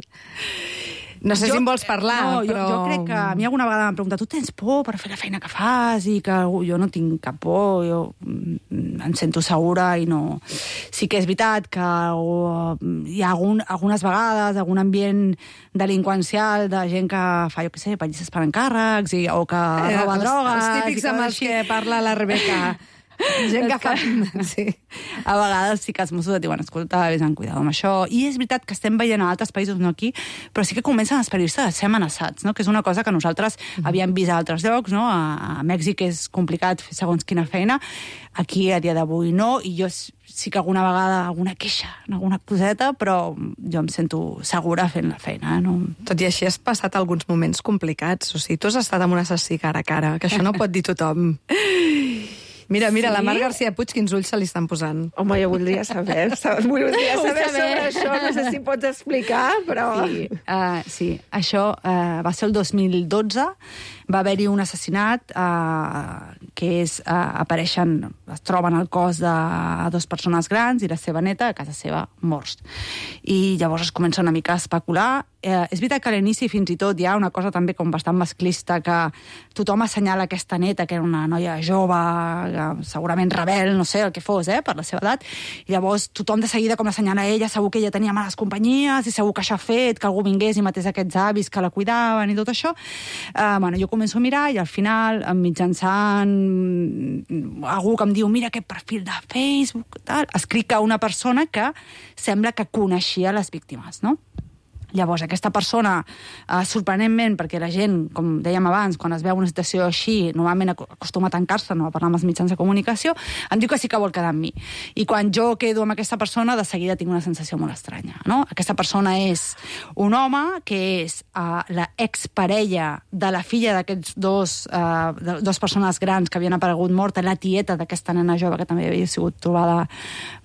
No sé jo, si em vols parlar, no, però... Jo, jo crec que a mi alguna vegada m'han preguntat tu tens por per fer la feina que fas i que jo no tinc cap por, jo em sento segura i no... Sí que és veritat que o, hi ha algun, algunes vegades algun ambient delinqüencial de gent que fa, jo què sé, pallisses per encàrrecs i, o que Eh, roba els, drogues... Els típics amb els que parla la Rebeca. Gent que fa... Sí. A vegades sí que els Mossos et diuen, escolta, vés amb cuidado amb això. I és veritat que estem veient a altres països, no aquí, però sí que comencen els periodistes a ser amenaçats, no? Que és una cosa que nosaltres mm. havíem vist a altres llocs, no? A, a Mèxic és complicat fer segons quina feina, aquí a dia d'avui no, i jo sí que alguna vegada alguna queixa, alguna coseta, però jo em sento segura fent la feina. Eh? No... Tot i així has passat alguns moments complicats, o sigui, tu has estat amb un assassí cara a cara, que això no pot dir tothom. Mira, mira, sí? La Mar García Puig, quins ulls se li estan posant. Home, jo voldria saber, voldria saber sobre això, no sé si pots explicar, però... Sí, uh, sí. Això uh, va ser el dos mil dotze, va haver-hi un assassinat uh, que és, uh, apareixen, es troben el cos de dues persones grans i la seva neta a casa seva morts. I llavors es comença una mica a especular. Eh, és veritat que a l'inici fins i tot hi ha una cosa també com bastant masclista, que tothom assenyala aquesta neta, que era una noia jove, segurament rebel, no sé el que fos, eh, per la seva edat, i llavors tothom de seguida com l'assenyala ella, segur que ella tenia males companyies, i segur que això ha fet que algú vingués i matés aquests avis que la cuidaven i tot això. Eh, bueno, jo començo a mirar i al final, mitjançant algú que em diu, mira aquest perfil de Facebook, tal, escric a una persona que sembla que coneixia les víctimes, no? Llavors, aquesta persona, eh, sorprenentment, perquè la gent, com dèiem abans, quan es veu una situació així, normalment acostuma a tancar-se, no a parlar amb els mitjans de comunicació, em diu que sí que vol quedar amb mi. I quan jo quedo amb aquesta persona, de seguida tinc una sensació molt estranya, no? Aquesta persona és un home que és uh, la exparella de la filla d'aquests dos, uh, de, dos persones grans que havien aparegut morta, la tieta d'aquesta nena jove que també havia sigut trobada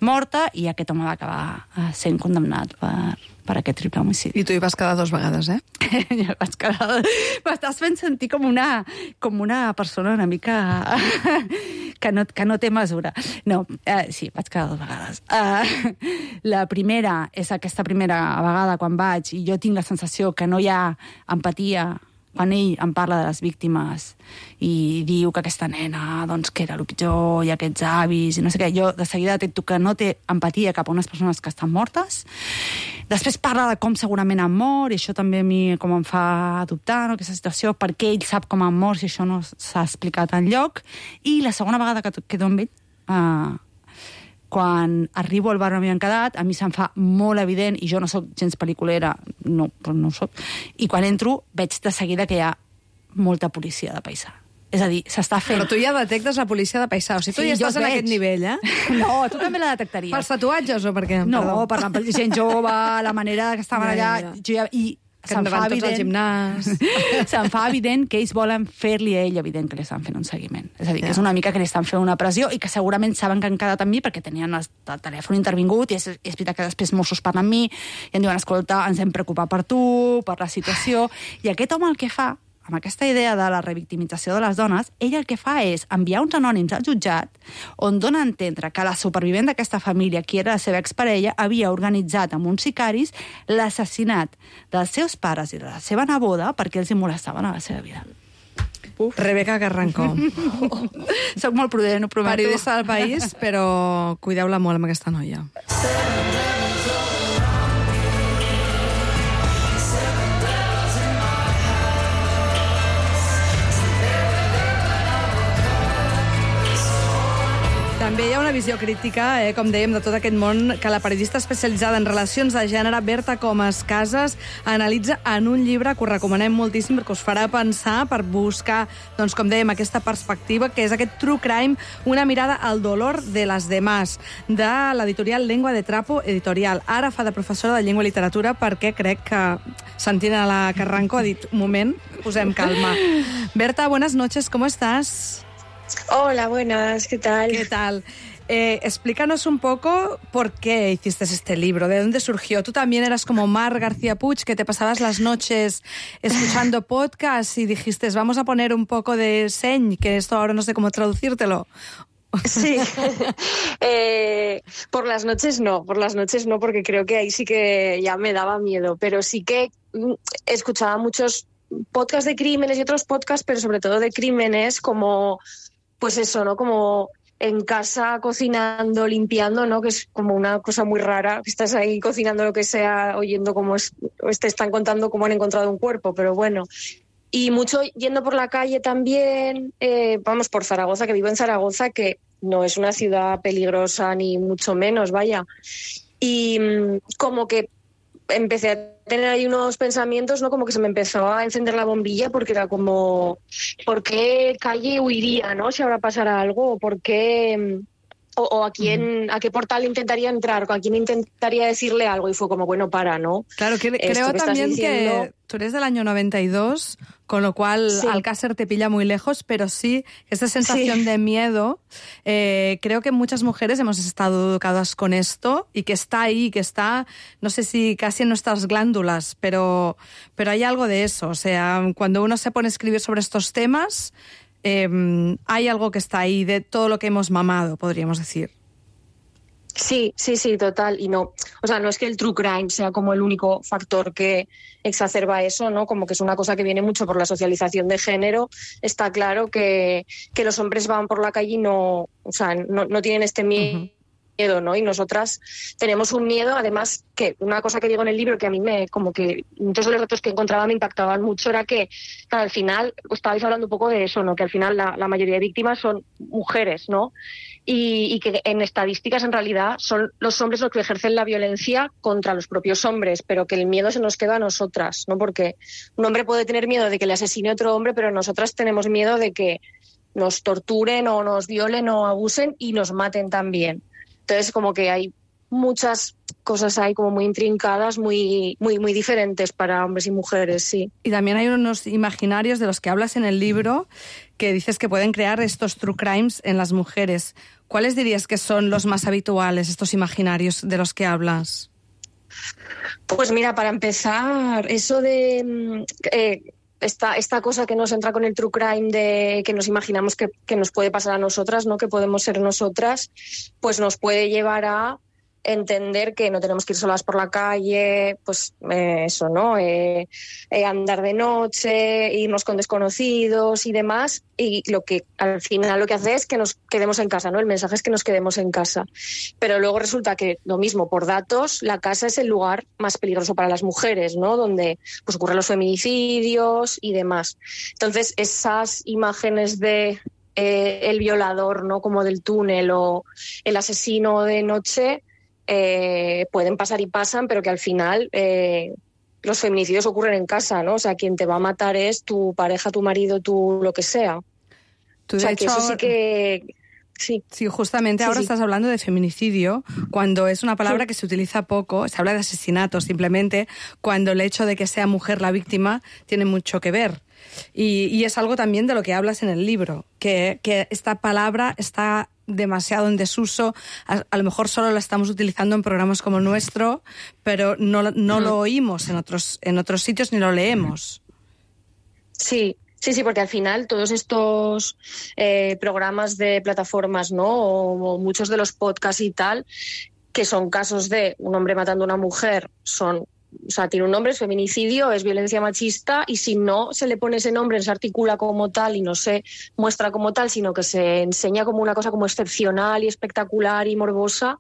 morta, i aquest home va acabar uh, sent condemnat per... per aquest triple homicidi. I tu hi vas quedar dues vegades, eh? Jo vaig quedar... M'estàs fent sentir com una, com una persona una mica... que, no, que no té mesura. No, uh, sí, vaig quedar dues vegades. Uh, la primera és aquesta primera vegada quan vaig i jo tinc la sensació que no hi ha empatia quan ell em parla de les víctimes i diu que aquesta nena, doncs, que era el pitjor, i aquests avis, i no sé què, jo de seguida detecto que no té empatia cap a unes persones que estan mortes. Després parla de com segurament han mort, i això també a mi com em fa dubtar, no?, aquesta situació, perquè ell sap com han mort si això no s'ha explicat enlloc. I la segona vegada que quedo amb ell, uh, quan arribo al bar on m'havien quedat, a mi se'm fa molt evident, i jo no sóc gens pel·liculera, no, però no ho soc, i quan entro veig de seguida que hi ha molta policia de paisà. És a dir, s'està fent... Però tu ja detectes la policia de paisà, o sigui, tu sí, ja estàs en aquest nivell, eh? No, tu també la detectaries. Pels tatuatges o per què? No, Perdó. per la gent jove, la manera que estaven Ja, allà... ja, ja. Jo ja, i Que se'm fa tots al evident... gimnàs. Se'm fa evident que ells volen fer-li a ell evident que li estan fent un seguiment. És a dir, que Ja. és una mica que li estan fent una pressió i que segurament saben que han quedat amb mi perquè tenien el, el telèfon intervingut i és, és veritat que després Mossos parlen amb mi i em diuen, escolta, ens hem preocupat per tu, per la situació... I aquest home el que fa, amb aquesta idea de la revictimització de les dones, ell el que fa és enviar uns anònims al jutjat on dona a entendre que la supervivent d'aquesta família, qui era la seva exparella, havia organitzat amb uns sicaris l'assassinat dels seus pares i de la seva neboda perquè els hi molestaven a la seva vida. Uf. Rebeca Carrancó. Soc molt prudent, ho prometo. Periodista del País, però cuideu-la molt amb aquesta noia. També hi ha una visió crítica, eh, com dèiem, de tot aquest món que la periodista especialitzada en relacions de gènere, Berta Comas Casas, analitza en un llibre que us recomanem moltíssim perquè us farà pensar per buscar, doncs, com dèiem, aquesta perspectiva, que és aquest True Crime, una mirada al dolor de les demás, de l'editorial Lengua de Trapo Editorial. Ara fa de professora de llengua i literatura perquè crec que, sentint a la Carranco, ha dit, un moment, posem calma. Berta, buenas noches, ¿cómo estás? Hola, buenas, ¿qué tal? ¿Qué tal? Eh, explícanos un poco por qué hiciste este libro, de dónde surgió. Tú también eras como Mar García Puig, que te pasabas las noches escuchando podcasts y dijiste, vamos a poner un poco de seny, que esto ahora no sé cómo traducírtelo. Sí, eh, por las noches no, por las noches no, porque creo que ahí sí que ya me daba miedo, pero sí que escuchaba muchos podcasts de crímenes y otros podcasts, pero sobre todo de crímenes, como, pues eso, ¿no? Como en casa, cocinando, limpiando, ¿no? Que es como una cosa muy rara, que estás ahí cocinando lo que sea, oyendo cómo es, te están contando cómo han encontrado un cuerpo, pero bueno. Y mucho yendo por la calle también, eh, vamos, por Zaragoza, que vivo en Zaragoza, que no es una ciudad peligrosa ni mucho menos, vaya. Y mmm, como que empecé a tener ahí unos pensamientos, ¿no? Como que se me empezó a encender la bombilla porque era como, ¿por qué calle huiría, no? Si ahora pasara algo, ¿por qué...? O, o a quién, a qué portal intentaría entrar, a quién intentaría decirle algo, y fue como, bueno, para, ¿no? Claro, que, creo que también diciendo... que tú eres del año noventa y dos, con lo cual sí. Alcácer te pilla muy lejos, pero sí, esta sensación sí. de miedo, eh, creo que muchas mujeres hemos estado educadas con esto y que está ahí, que está, no sé si casi en nuestras glándulas, pero, pero hay algo de eso. O sea, cuando uno se pone a escribir sobre estos temas... Eh, hay algo que está ahí de todo lo que hemos mamado, podríamos decir. Sí, sí, sí, total. Y no, o sea, no es que el true crime sea como el único factor que exacerba eso, ¿no? Como que es una cosa que viene mucho por la socialización de género. Está claro que, que los hombres van por la calle y no, o sea, no, no tienen este miedo. Uh-huh. miedo, ¿no? Y nosotras tenemos un miedo, además, que una cosa que digo en el libro que a mí me, como que muchos de los datos que encontraba me impactaban mucho, era que, claro, al final, estabais hablando un poco de eso, ¿no? Que al final la, la mayoría de víctimas son mujeres, ¿no? Y, y que en estadísticas, en realidad, son los hombres los que ejercen la violencia contra los propios hombres, pero que el miedo se nos queda a nosotras, ¿no? Porque un hombre puede tener miedo de que le asesine otro hombre, pero nosotras tenemos miedo de que nos torturen o nos violen o abusen y nos maten también. Entonces, como que hay muchas cosas ahí como muy intrincadas, muy, muy, muy diferentes para hombres y mujeres, sí. Y también hay unos imaginarios de los que hablas en el libro que dices que pueden crear estos true crimes en las mujeres. ¿Cuáles dirías que son los más habituales, estos imaginarios de los que hablas? Pues mira, para empezar, eso de... Eh, Esta, esta cosa que nos entra con el true crime de que nos imaginamos que, que nos puede pasar a nosotras, ¿no? Que podemos ser nosotras, pues nos puede llevar a entender que no tenemos que ir solas por la calle, pues eh, eso, ¿no? Eh, eh, andar de noche, irnos con desconocidos y demás, y lo que al final lo que hace es que nos quedemos en casa, ¿no? El mensaje es que nos quedemos en casa. Pero luego resulta que, lo mismo, por datos, la casa es el lugar más peligroso para las mujeres, ¿no? Donde pues ocurren los feminicidios y demás. Entonces, esas imágenes de eh, el violador, ¿no? Como del túnel, o el asesino de noche, Eh, pueden pasar y pasan, pero que al final eh, los feminicidios ocurren en casa, ¿no? O sea, quien te va a matar es tu pareja, tu marido, tu lo que sea. Tú, o sea, de que hecho, eso sí que... Sí, sí justamente sí, ahora sí. estás hablando de feminicidio, cuando es una palabra sí. que se utiliza poco. Se habla de asesinato simplemente, cuando el hecho de que sea mujer la víctima tiene mucho que ver. Y, y es algo también de lo que hablas en el libro, que, que esta palabra está demasiado en desuso. A, a lo mejor solo la estamos utilizando en programas como el nuestro, pero no, no lo oímos en otros, en otros sitios ni lo leemos. Sí, sí, sí, porque al final todos estos eh, programas de plataformas, ¿no? O, o muchos de los podcasts y tal, que son casos de un hombre matando a una mujer, son... O sea, tiene un nombre, es feminicidio, es violencia machista, y si no se le pone ese nombre, se articula como tal y no se muestra como tal, sino que se enseña como una cosa como excepcional y espectacular y morbosa,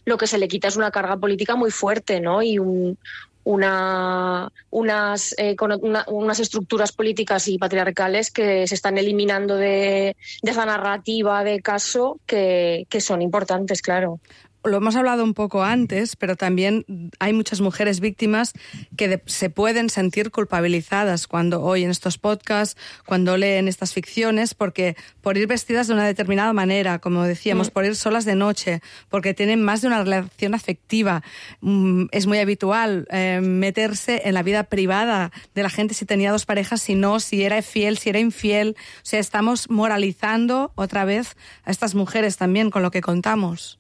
lo que se le quita es una carga política muy fuerte, ¿no? Y un, una, unas, eh, con una, unas estructuras políticas y patriarcales que se están eliminando de, de esa narrativa de caso que, que son importantes, claro. Lo hemos hablado un poco antes, pero también hay muchas mujeres víctimas que de, se pueden sentir culpabilizadas cuando oyen estos podcasts, cuando leen estas ficciones, porque por ir vestidas de una determinada manera, como decíamos, mm. por ir solas de noche, porque tienen más de una relación afectiva. Mm, es muy habitual eh, meterse en la vida privada de la gente, si tenía dos parejas, si no, si era fiel, si era infiel. O sea, estamos moralizando otra vez a estas mujeres también con lo que contamos.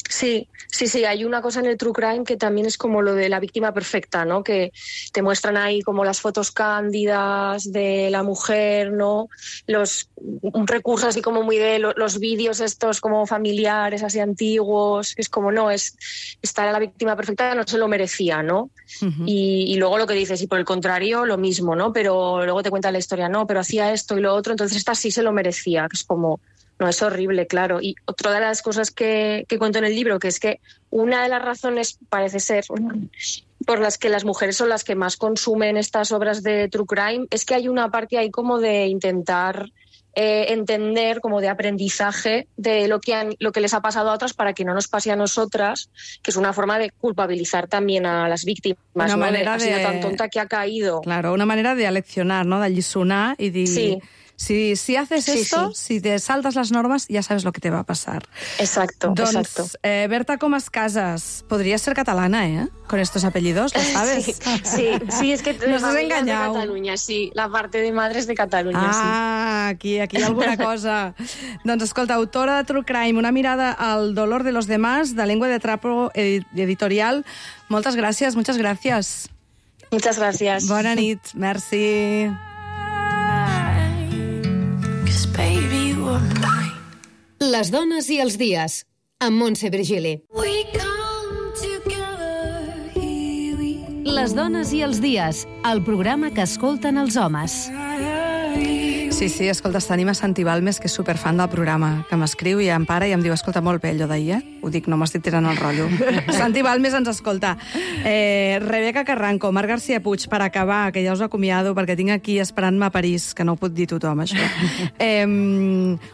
Sí, sí, sí, hay una cosa en el true crime que también es como lo de la víctima perfecta, ¿no? Que te muestran ahí como las fotos cándidas de la mujer, ¿no? Los un recurso así como muy de lo, los vídeos estos como familiares, así antiguos, es como no, es estar a la víctima perfecta no se lo merecía, ¿no? Uh-huh. Y, y luego lo que dices, y por el contrario, lo mismo, ¿no? Pero luego te cuenta la historia, no, pero hacía esto y lo otro, entonces esta sí se lo merecía, que es como... No, es horrible, claro. Y otra de las cosas que, que cuento en el libro, que es que una de las razones, parece ser, por las que las mujeres son las que más consumen estas obras de true crime, es que hay una parte ahí como de intentar eh, entender, como de aprendizaje de lo que, han, lo que les ha pasado a otras para que no nos pase a nosotras, que es una forma de culpabilizar también a las víctimas. Una ¿no? manera de, de... Ha sido tan tonta que ha caído. Claro, una manera de aleccionar, ¿no? De alliçonar y de... Sí. Si, si haces Sí, esto, sí. si te saltas las normas, ya sabes lo que te va a pasar. Exacto, Doncs, exacto. Eh, Berta Comas Casas, podrías ser catalana, ¿eh? Con estos apellidos, ¿lo sabes? Sí, sí, sí, es que Nos has familia es de engañado. Cataluña, sí, la parte de madre es de Cataluña, sí. Ah, aquí, aquí hi ha alguna cosa. Doncs escolta, autora de True Crime, una mirada al dolor de los demás, de Lengua de Trapo edi- Editorial. Moltes gràcies, muchas gràcies. Muchas gracias. Bona nit, merci. Baby, you were mine. Les dones i els dies, amb Montse Virgili. We come together, here we Les dones i els dies, el programa que escolten els homes. Sí, sí, escolta, tenim a Santi Balmes, que és superfan del programa, que m'escriu i em para i em diu, escolta, molt bé allò d'ahir, eh? Ho dic, no m'estic tirant el rotllo. Santi Balmes ens escolta. Eh, Rebeca Carranco, Marc García Puig, per acabar, que ja us acomiado, perquè tinc aquí esperant-me a París, que no ho pot dir tothom, això. Eh,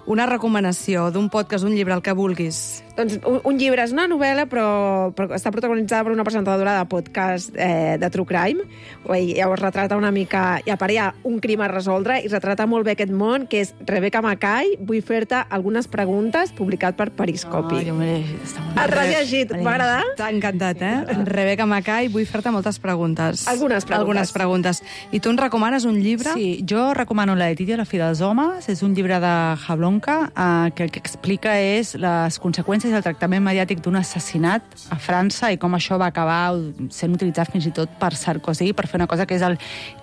una recomanació d'un podcast, d'un llibre, el que vulguis. Doncs un, un llibre és una novel·la, però, però està protagonitzada per una presentadora de podcast eh, de True Crime. I llavors retrata una mica... I a part hi ha un crim a resoldre i retrata molt bé aquest món, que és Rebecca Mackay. Vull fer-te algunes preguntes, publicat per Periscopi. Oh, jo m'he llegit, està molt Has bé. rellegit? M'he Va agradar? T'ha encantat, eh? Rebecca Mackay, vull fer-te moltes preguntes. Algunes preguntes. Algunes preguntes. I tu ens recomanes un llibre? Sí, jo recomano La Letitia, la fi dels homes. És un llibre de Jablonka eh, que el que explica és les conseqüències i el tractament mediàtic d'un assassinat a França i com això va acabar sent utilitzat fins i tot per Sarkozy per fer una cosa que és el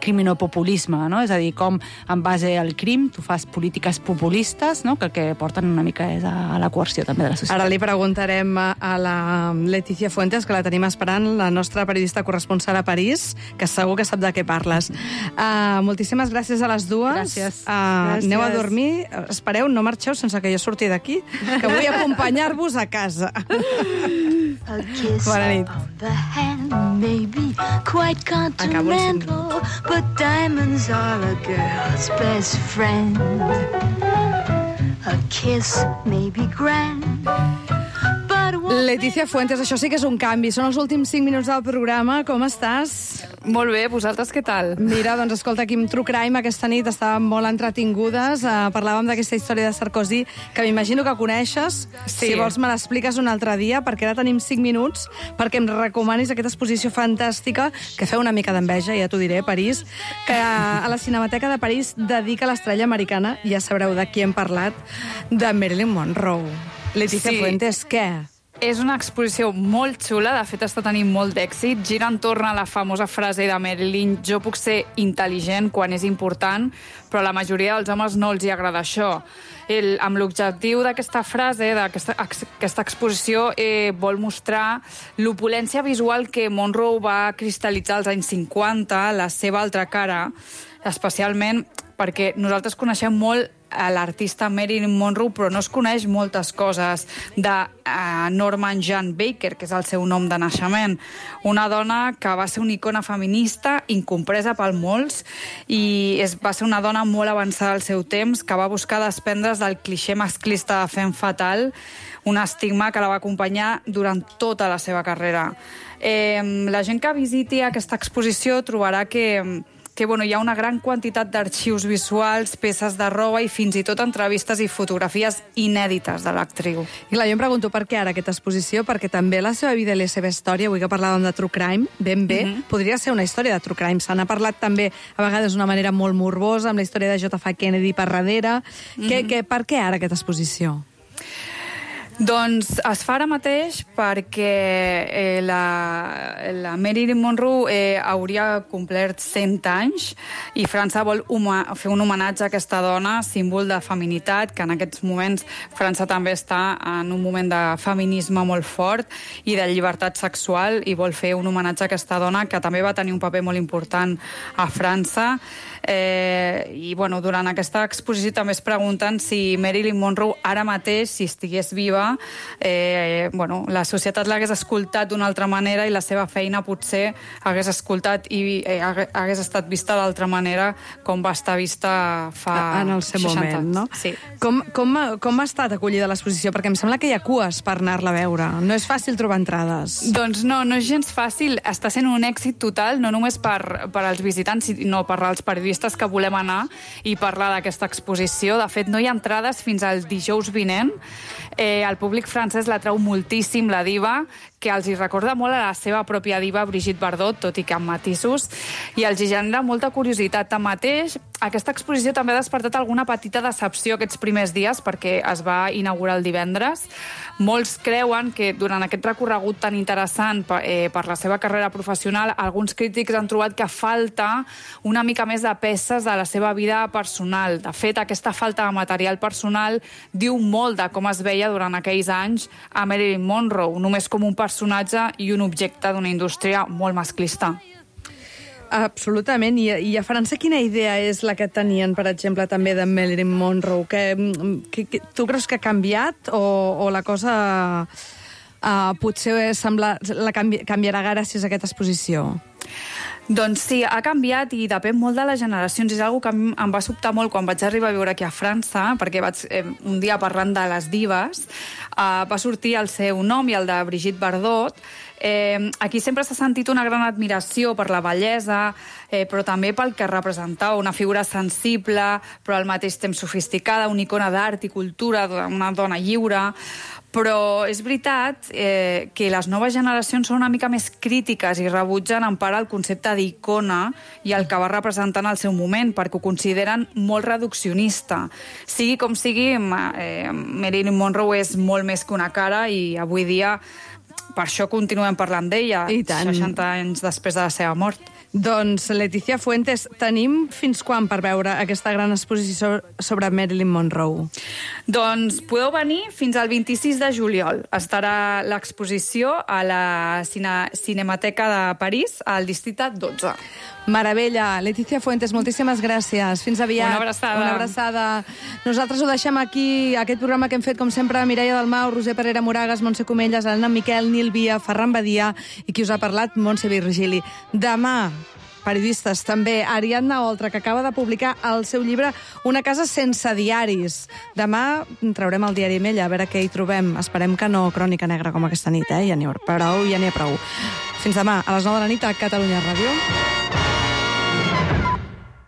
criminopopulisme, no? És a dir, com en base al crim tu fas polítiques populistes, no? Que el que porten una mica és a, a la coerció també de la societat. Ara li preguntarem a la Letícia Fuentes, que la tenim esperant, la nostra periodista corresponsal a París, que segur que sap de què parles. Uh, moltíssimes gràcies a les dues. Gràcies. Uh, Gràcies. Aneu a dormir. Espereu, no marxeu sense que jo surti d'aquí, que vull acompanyar-vos a casa. A kiss Bona nit. on the hand may be quite Acabo el cinc. continental, but diamonds are a girl's best friend. A kiss may be grand, but one Letícia Fuentes, això sí que és un canvi. Són els últims cinc minuts del programa. Com estàs? Molt bé, vosaltres què tal? Mira, doncs escolta, aquí amb True Crime aquesta nit estàvem molt entretingudes. Uh, parlàvem d'aquesta història de Sarkozy, que m'imagino que coneixes. Sí. Si vols me l'expliques un altre dia, perquè ara tenim cinc minuts perquè em recomanis aquesta exposició fantàstica que feu una mica d'enveja, ja t'ho diré, París, que a la Cinemateca de París dedica a l'estrella americana, ja sabreu de qui hem parlat, de Marilyn Monroe. Letícia Sí. Fuentes, què? És una exposició molt xula, de fet està tenint molt d'èxit. Gira entorn a la famosa frase de Marilyn: jo puc ser intel·ligent quan és important, però a la majoria dels homes no els hi agrada això. El, amb l'objectiu d'aquesta frase, d'aquesta aquesta exposició, eh, vol mostrar l'opulència visual que Monroe va cristal·litzar als anys cinquanta, la seva altra cara, especialment perquè nosaltres coneixem molt a l'artista Marilyn Monroe, però no es coneix moltes coses de uh, Norman Jean Baker, que és el seu nom de naixement. Una dona que va ser una icona feminista, incompresa per molts, i és, va ser una dona molt avançada al seu temps, que va buscar desprendre's del clixé masclista de femme fatal, un estigma que la va acompanyar durant tota la seva carrera. Eh, la gent que visiti aquesta exposició trobarà que que bueno, hi ha una gran quantitat d'arxius visuals, peces de roba i fins i tot entrevistes i fotografies inèdites de l'actriu. I clar, jo em pregunto per què ara aquesta exposició, perquè també la seva vida i la seva història, avui que parlàvem de True Crime, ben bé, mm-hmm. podria ser una història de True Crime. Se n'ha parlat també, a vegades d'una manera molt morbosa, amb la història de J F Kennedy per darrere. Mm-hmm. que, que, per què ara aquesta exposició? Doncs es fa ara mateix perquè eh, la, la Marilyn Monroe eh, hauria complert cent anys i França vol huma, fer un homenatge a aquesta dona, símbol de feminitat, que en aquests moments França també està en un moment de feminisme molt fort i de llibertat sexual, i vol fer un homenatge a aquesta dona que també va tenir un paper molt important a França. Eh, i bueno, durant aquesta exposició també es pregunten si Marilyn Monroe ara mateix, si estigués viva, època, eh, bueno, la societat l'hagués escoltat d'una altra manera i la seva feina potser hagués escoltat i eh, hagués estat vista d'altra manera com va estar vista fa en el seu seixanta moment, no? Sí. Com, com, com ha estat acollida l'exposició? Perquè em sembla que hi ha cues per anar-la a veure. No és fàcil trobar entrades. Doncs no, no és gens fàcil. Està sent un èxit total, no només per, per als visitants, sinó per als periodistes que volem anar i parlar d'aquesta exposició. De fet, no hi ha entrades fins al dijous vinent. Eh, el públic francès la treu moltíssim, la diva, que els hi recorda molt a la seva pròpia diva Brigitte Bardot, tot i que amb matisos, i els hi genera molta curiositat. Tanmateix, aquesta exposició també ha despertat alguna petita decepció aquests primers dies, perquè es va inaugurar el divendres. Molts creuen que durant aquest recorregut tan interessant per, eh, per la seva carrera professional, alguns crítics han trobat que falta una mica més de peces de la seva vida personal. De fet, aquesta falta de material personal diu molt de com es veia durant aquells anys a Marilyn Monroe, només com un personatge i un objecte d'una indústria molt masclista. Absolutament. I, I a França quina idea és la que tenien, per exemple, també de Marilyn Monroe? Que, que, que, tu creus que ha canviat o, o la cosa uh, potser sembla, la canvi, canviarà gràcies a aquesta exposició? Doncs sí, ha canviat i depèn molt de les generacions. És una cosa que em va sobtar molt quan vaig arribar a viure aquí a França, perquè vaig, eh, un dia parlant de les dives, eh, va sortir el seu nom i el de Brigitte Bardot. Eh, aquí sempre s'ha sentit una gran admiració per la bellesa, eh, però també pel que representava, una figura sensible, però al mateix temps sofisticada, una icona d'art i cultura, una dona lliure. Però és veritat eh, que les noves generacions són una mica més crítiques i rebutgen en part el concepte d'icona i el que va representar en el seu moment, perquè ho consideren molt reduccionista. Sigui com sigui, eh, Marilyn Monroe és molt més que una cara i avui dia per això continuem parlant d'ella, seixanta anys després de la seva mort. Doncs, Letícia Fuentes, tenim fins quan per veure aquesta gran exposició sobre Marilyn Monroe? Doncs podeu venir fins al vint-i-sis de juliol. Estarà l'exposició a la Cine Cinemateca de París, al districte dotze. Meravella. Letícia Fuentes, moltíssimes gràcies. Fins aviat. Una abraçada. Una abraçada. Nosaltres ho deixem aquí, aquest programa que hem fet, com sempre, Mireia Dalmau, Roser Parera Moragas, Montse Comelles, Elena Miquel, Nil Via, Ferran Badia i qui us ha parlat, Montse Virgili. Demà, periodistes, també, Ariadna Oltra, que acaba de publicar el seu llibre Una casa sense diaris. Demà traurem el diari amb ella, a veure què hi trobem. Esperem que no crònica negra com aquesta nit, eh? Ja n'hi ha prou, ja n'hi ha prou. Fins demà, a les nou de la nit, a Catalunya Ràdio.